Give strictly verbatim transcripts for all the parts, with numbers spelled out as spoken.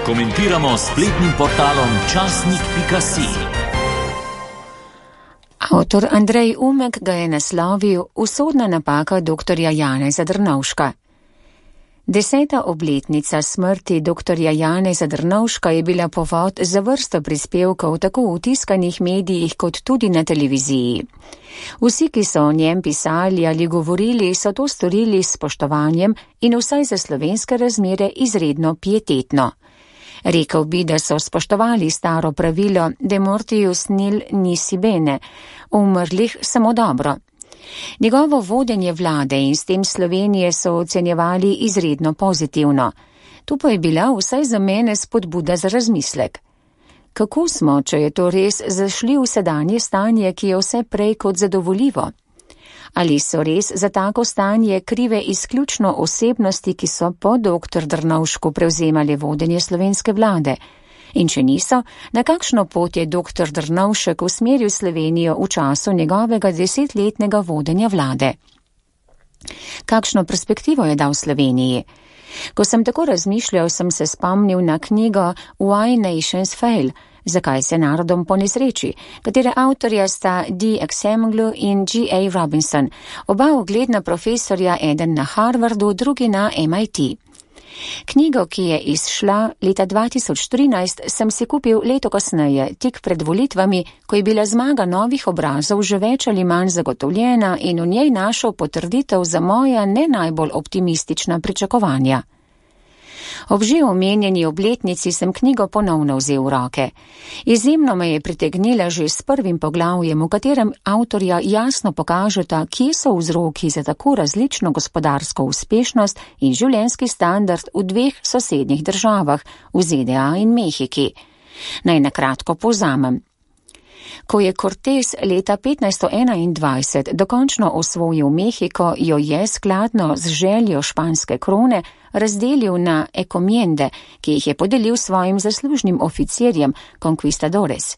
Komentiramo s spletnim portalom časnik pika si. Avtor Andrej Umek ga je naslovil Usodna napaka doktorja Janeza Drnovška. Deseta obletnica smrti doktorja Janeza Drnovška je bila povod za vrsto prispevkov tako v tiskanih medijih kot tudi na televiziji. Vsi, ki so o njem pisali ali govorili, so to storili s spoštovanjem in vsaj za slovenske razmere izredno pietetno. Rekel bi, da so spoštovali staro pravilo de mortius nil nisi bene, umrlih samo dobro. Njegovo vodenje vlade in s tem Slovenije so ocenjevali izredno pozitivno. Tu pa je bila vsaj za mene spodbuda za razmislek. Kako smo, če je to res, zašli v sedanje stanje, ki je vse prej kot zadovoljivo? Ali so res za tako stanje krive izključno osebnosti, ki so po doktor Drnovšku prevzemali vodenje slovenske vlade? In če niso, na kakšno pot je doktor Drnovšek usmeril Slovenijo v času njegovega desetletnega vodenja vlade? Kakšno perspektivo je dal Sloveniji? Ko sem tako razmišljal, sem se spomnil na knjigo Why Nations Fail, Zakaj se narodom ponesreči, katere avtorja sta D. Axemoglu in G. A. Robinson, oba ugledna profesorja, eden na Harvardu, drugi na M I T. Knjigo, ki je izšla leta dva tisoč trinajst, sem si kupil leto kasneje, tik pred volitvami, ko je bila zmaga novih obrazov že več ali manj zagotovljena in v njej našel potrditev za moja ne najbolj optimistična pričakovanja. Ob že omenjeni obletnici sem knjigo ponovno vzel v roke. Izjemno me je pritegnila že s prvim poglavjem, v katerem avtorja jasno pokažeta, kje so vzroki za tako različno gospodarsko uspešnost in življenjski standard v dveh sosednjih državah, v Z D A in Mehiki. Naj nakratko povzamem. Ko je Cortés leta petnajststo enaindvajset dokončno osvojil Mehiko, jo je skladno z željo španske krone razdelil na encomiende, ki jih je podelil svojim zaslužnim oficirjem, conquistadores.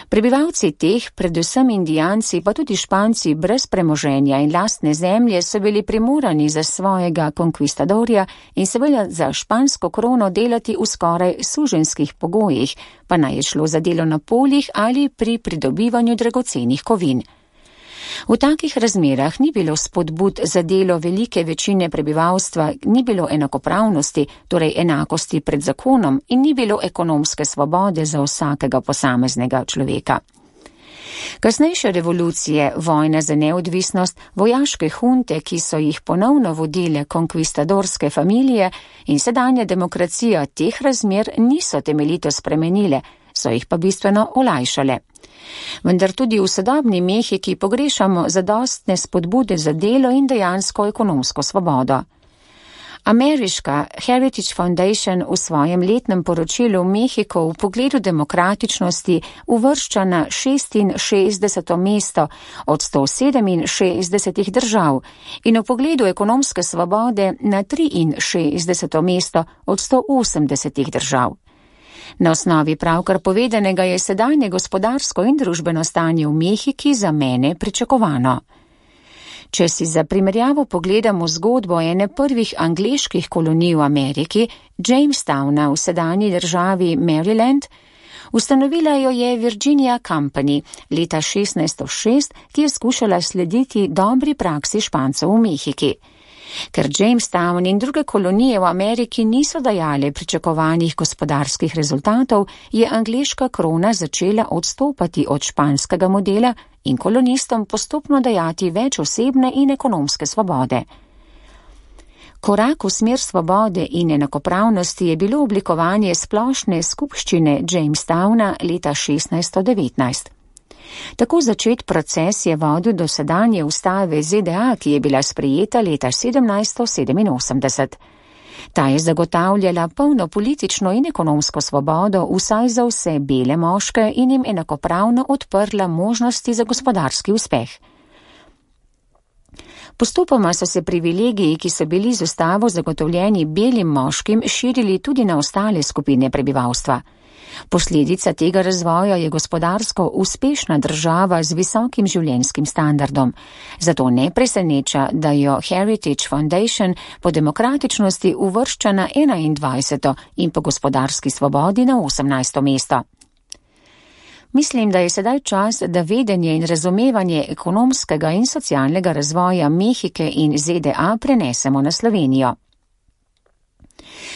Prebivalci teh, predvsem Indijanci, pa tudi Španci brez premoženja in lastne zemlje, so bili primorani za svojega conquistadorja in seveda za špansko krono delati v skoraj suženjskih pogojih, pa naj je šlo za delo na poljih ali pri pridobivanju dragocenih kovin. V takih razmerah ni bilo spodbud za delo velike večine prebivalstva, ni bilo enakopravnosti, torej enakosti pred zakonom, in ni bilo ekonomske svobode za vsakega posameznega človeka. Kasnejše revolucije, vojna za neodvisnost, vojaške hunte, ki so jih ponovno vodile konkvistadorske familije, in sedanja demokracija teh razmer niso temeljito spremenile, so jih pa bistveno olajšale. Vendar tudi v sodobni Mehiki pogrešamo zadostne spodbude za delo in dejansko ekonomsko svobodo. Ameriška Heritage Foundation v svojem letnem poročilu Mehiko v pogledu demokratičnosti uvršča na šestinšestdeseto mesto od sto sedeminšestdesetih držav in v pogledu ekonomske svobode na triinšestdeseto mesto od sto osemdesetih držav. Na osnovi pravkar povedanega je sedanje gospodarsko in družbeno stanje v Mehiki za mene pričakovano. Če si za primerjavo pogledamo zgodbo ene prvih angleških kolonij v Ameriki, Jamestowna v sedanji državi Maryland, ustanovila jo je Virginia Company leta šestnajststo šest, ki je skušala slediti dobri praksi Špancev v Mehiki. Ker Jamestown in druge kolonije v Ameriki niso dajale pričakovanih gospodarskih rezultatov, je angleška krona začela odstopati od španskega modela in kolonistom postopno dajati več osebne in ekonomske svobode. Korak v smer svobode in enakopravnosti je bilo oblikovanje splošne skupščine Jamestowna leta šestnajststo devetnajst. Tako začet proces je vodil do sedanje ustave Z D A, ki je bila sprejeta leta sedemnajststo sedeminosemdeset. Ta je zagotavljala polno politično in ekonomsko svobodo vsaj za vse bele moške in jim enakopravno odprla možnosti za gospodarski uspeh. Postopoma so se privilegiji, ki so bili z ustavo zagotovljeni belim moškim, širili tudi na ostale skupine prebivalstva. Posledica tega razvoja je gospodarsko uspešna država z visokim življenjskim standardom. Zato ne preseneča, da jo Heritage Foundation po demokratičnosti uvršča na enaindvajseto in po gospodarski svobodi na osemnajsto mesto. Mislim, da je sedaj čas, da vedenje in razumevanje ekonomskega in socialnega razvoja Mehike in Z D A prenesemo na Slovenijo.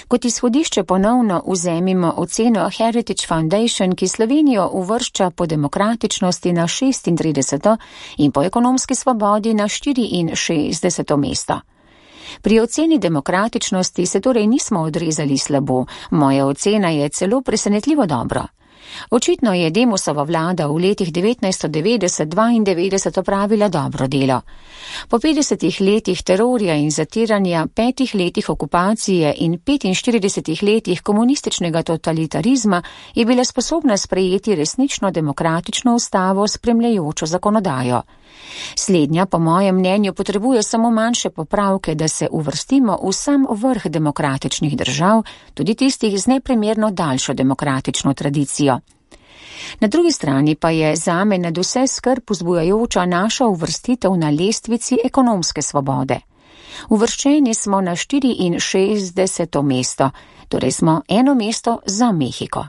Kot izhodišče ponovno vzemimo oceno Heritage Foundation, ki Slovenijo uvršča po demokratičnosti na šestintrideseto in po ekonomski svobodi na štiriinšestdeseto mesto. Pri oceni demokratičnosti se torej nismo odrezali slabo, moja ocena je celo presenetljivo dobro. Očitno je Demosova vlada v letih devetnajststo devetdeset do dvaindevetdeset opravila dobro delo. Po petdesetih letih terorja in zatiranja, petih letih okupacije in petinštiridesetih letih komunističnega totalitarizma je bila sposobna sprejeti resnično demokratično ustavo s spremljajočo zakonodajo. Slednja, po mojem mnenju, potrebuje samo manjše popravke, da se uvrstimo v sam vrh demokratičnih držav, tudi tistih z neprimerno daljšo demokratično tradicijo. Na drugi strani pa je zame nad vse skrb vzbujajoča naša uvrstitev na lestvici ekonomske svobode. Uvrščeni smo na štiriinšestdeseto mesto, torej smo eno mesto za Mehiko.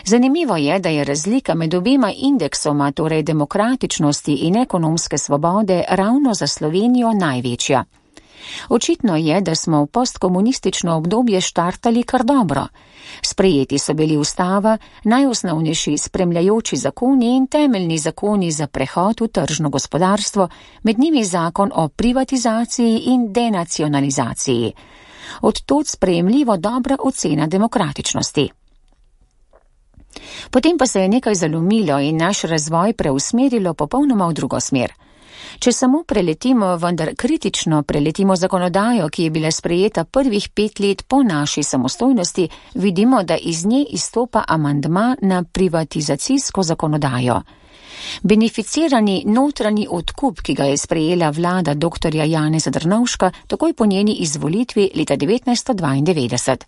Zanimivo je, da je razlika med obema indeksoma, torej demokratičnosti in ekonomske svobode, ravno za Slovenijo največja. Očitno je, da smo v postkomunistično obdobje štartali kar dobro. Sprejeti so bili ustava, najosnovnejši spremljajoči zakoni in temeljni zakoni za prehod v tržno gospodarstvo, med njimi zakon o privatizaciji in denacionalizaciji. Od tod sprejemljivo dobra ocena demokratičnosti. Potem pa se je nekaj zalomilo in naš razvoj preusmerilo popolnoma v drugo smer. Če samo preletimo, vendar kritično preletimo zakonodajo, ki je bila sprejeta prvih pet let po naši samostojnosti, vidimo, da iz nje izstopa amandma na privatizacijsko zakonodajo. Beneficirani notranji odkup, ki ga je sprejela vlada doktorja Janeza Drnovška, takoj po njeni izvolitvi leta devetnajststo dvaindevetdeset.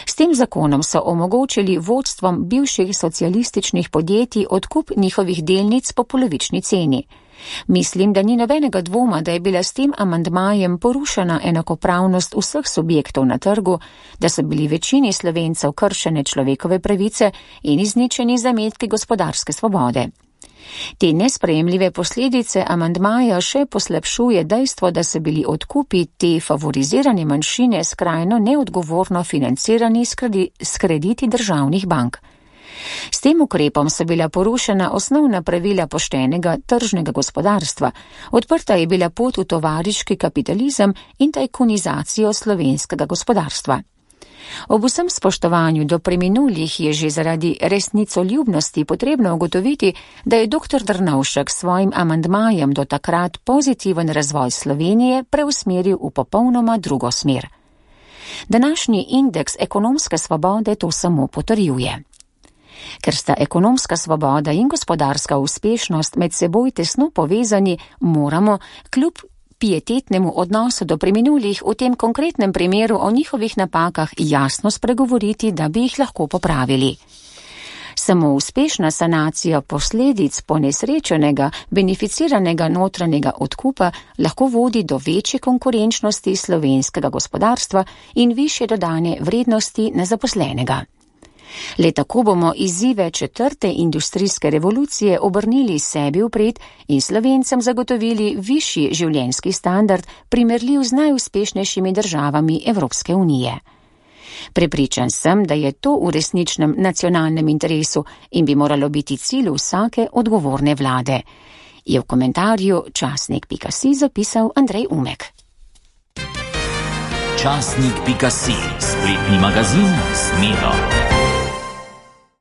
S tem zakonom so omogočili vodstvom bivših socialističnih podjetij odkup njihovih delnic po polovični ceni. Mislim, da ni nobenega dvoma, da je bila s tem amandmajem porušena enakopravnost vseh subjektov na trgu, da so bili večini Slovencev kršene človekove pravice in izničeni zametki gospodarske svobode. Te nesprejemljive posledice amandmaja še poslabšuje dejstvo, da so bili odkupi te favorizirane manjšine skrajno neodgovorno financirani s krediti državnih bank. S tem ukrepom so bila porušena osnovna pravila poštenega tržnega gospodarstva, odprta je bila pot v tovariški kapitalizem in tajkunizacijo slovenskega gospodarstva. Ob vsem spoštovanju do preminulih je že zaradi resnicoljubnosti potrebno ugotoviti, da je doktor Drnovšek s svojim amandmajem do takrat pozitiven razvoj Slovenije preusmeril v popolnoma drugo smer. Današnji indeks ekonomske svobode to samo potrjuje. Ker sta ekonomska svoboda in gospodarska uspešnost med seboj tesno povezani, moramo kljub pietetnemu odnosu do preminulih v tem konkretnem primeru o njihovih napakah jasno spregovoriti, da bi jih lahko popravili. Samo uspešna sanacija posledic ponesrečenega, beneficiranega notranjega odkupa lahko vodi do večje konkurenčnosti slovenskega gospodarstva in višje dodane vrednosti na zaposlenega. Le tako bomo izzive četrte industrijske revolucije obrnili sebi vpred in Slovencem zagotovili višji življenjski standard, primerljiv z najuspešnejšimi državami Evropske unije. Prepričan sem, da je to v resničnem nacionalnem interesu in bi moralo biti cilj vsake odgovorne vlade, je v komentarju časnik pika si zapisal Andrej Umek. Časnik pika si, spletni magazin s Miro.